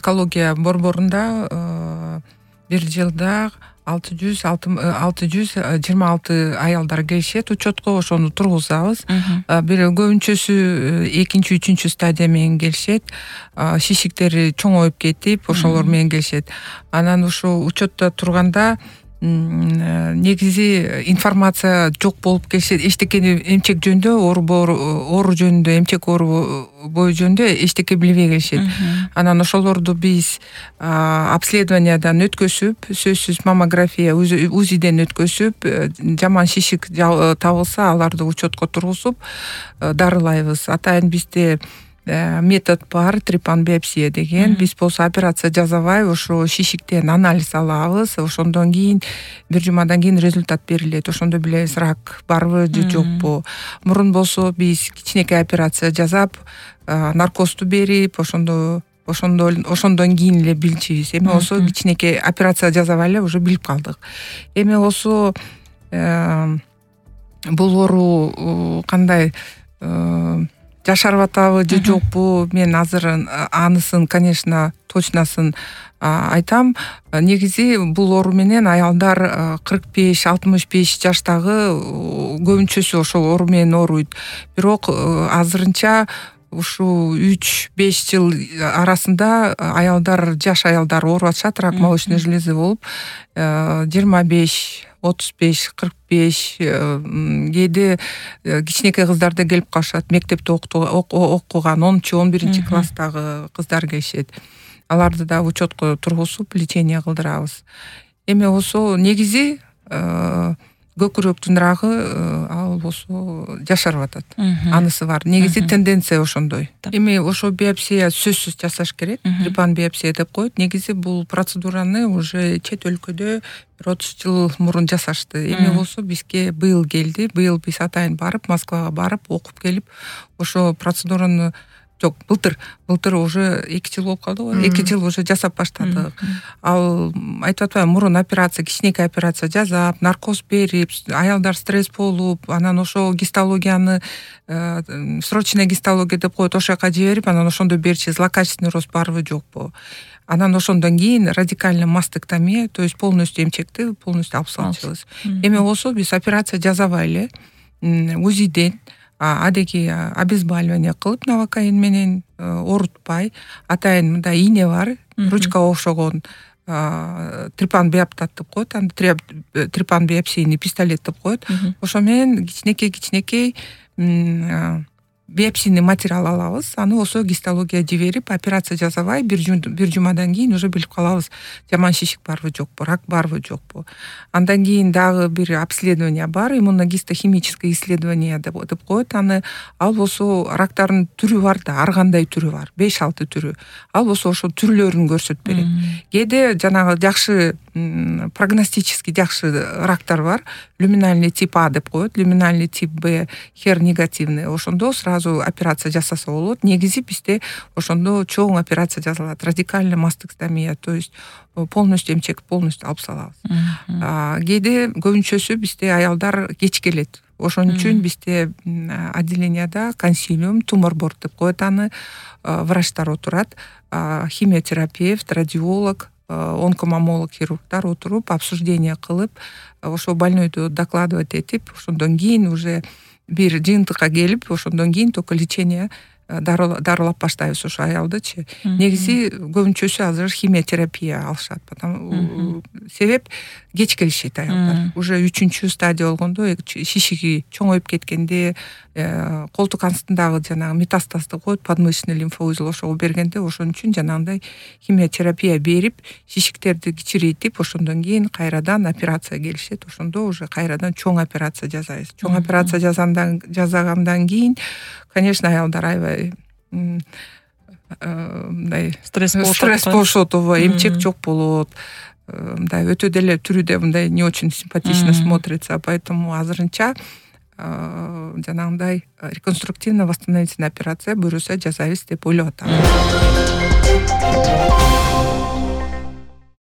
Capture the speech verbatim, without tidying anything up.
онкология борборунда бир жылда алты жүз алты жүз жыйырма алты аялдар келишет учетко, ошону тургузабыз. Бир көбүнчөсү экинчи, үчүнчү стадия менен келишет. Шишиктери чоңоюп кетип, ошолор менен келишет. Анан ошо учетто турганда негизи информация жок болуп келишет. Эчтекени эмчек жөнүндө, оору жөнүндө, эмчек оорубою жөнүндө эчтеке билбей келишет. Анан ошолорду биз обследованиядан өткөзүп, сөзсүз маммография, УЗИден өткөзүп, жаман шишик табылса, аларды учетко тургузуп дарылайбыз. Атайын бизде метод бар, трипан-биопсия деген. Биз болсо операция жасабай, ошо шишиктен анализ алабыз. Ошондон кийин бир жумадан кийин результат берилет. Ошондо билебиз, рак барбы же жокпу. Мурун болсо биз кичинекей операция жасап, наркозду берип, ошондо ошондо ошондон кийин эле билчүбүз. Эми болсо кичинекей операция жасабай эле уже билип калдык. Эми болсо бул оору кандай жашарып атабы же жокпу, мен азыр анысын, конечно, точносын айтам. Негизи бул оору менен аялдар кырк беш алтымыш беш жаштагы көбүнчөсү ошол оору менен ооруйт. Бирок азырынча ушул үч беш жыл арасында аялдар, жаш аялдар ооруп атышат, рак молочной железы болуп, жыйырма беш, отуз беш, кырк беш, кээде кичинекей кыздар да келип калышат. Мектепте окуган онунчу, он биринчи класстагы кыздар келишет. Аларды да учетко тургузуп, лечение кылдырабыз. Эми болсо негизи көкүрөктүн рагы ал болсо жашарып атат. Анысы бар. Негизи тенденция ошондой. Эми ошо биопсия сөзсүз жасаш керек. Трипан-биопсия деп коет. Негизи бул процедураны уже чет өлкөдө бир отуз жыл мурун жасашты. Эми болсо бизге быйыл келди. Быйыл биз атайын барып, Москвага барып, окуп келип, ошо процедураны жок, былтыр, былтыр уже эки жыл болуп калды го. эки жыл уже жасап баштадык. Ал айтып атпайбы, мурун операция, кичинекей операция жасап, наркоз берип, аялдар стресс болуп, анан ошо гистологияны, срочная гистология деп коет, ошол жака жиберип, анан ошондо берчи злокачественный рост барбы жокпу. Анан ошондон кийин радикальный мастектомия, то есть полностью эмчекти полностью алып салчубыз. Эми болсо биз операция жасабай эле УЗИден адеги обезболивание кылып, новокаин менен оорутпай, атайын мындай ийне бар, ручкага окшогон трипан-биоптат деп коет, аны трипан-биопсийный пистолет деп коет. Ошо менен кичинекей-кичинекей биопсийный материал алабыз. Аны болсо гистология жиберип, операция жасабай, бир жумадан кийин уже билип калабыз, жаман шишик барбы жокпу, рак барбы жокпу. Андан кийин дагы бир обследование бар, иммуногистохимическое исследование деп коет. Аны ал болсо рактардын түрү бар да, ар кандай түрү бар, беш алты түрү. Ал болсо ошо түрлөрүн көрсөтүп берет. Кээде жанагы жакшы прогностический жакшы рактар бар. Люминальный тип А деп коет, люминальный тип Б, хер негативный. Ошондо сразу операция жасаса болот. Негизи бизде ошондо чоң операция жасалат. Радикальный мастектомия, то есть полностью эмчек полностью алып салабыз. Кээде көбүнчөсү бизде аялдар кеч келет. Ошон үчүн бизде отделенияда консилиум, тумор борд деп коет аны, врачтар отурат, химиотерапевт, радиолог, онкомамолог, хирургдар отуруп, обсуждение кылып, ошо больнойду докладывать этип, ошондон кийин уже бир жыйынтыкка келип, ошондон кийин только лечение дарылап баштайбыз ошо аялдычы. Негизи көбүнчөсү азыр химиотерапия алышат. Потому себеп кеч келишет аялдар. Уже үчүнчү стадия болгондо, шишиги чоңоюп кеткенде, колтук астындагы жанагы метастазды коет, подмышечный лимфоузел ошого бергенде, ошон үчүн жанагындай химиотерапия берип, шишиктерди кичирейтип, ошондон кийин кайрадан операция келишет. Ошондо уже кайрадан чоң операция жасайбыз. Чоң операция жасагандан кийин, конечно, аялдар аябай мындай стресс болушот, эмчек жок болот. Мындай өтө деле түрү да мындай не очень симпатично смотрится, поэтому азырынча жанагындай реконструктивно восстановительная операция буюрса жасайбыз деп ойлоп атам.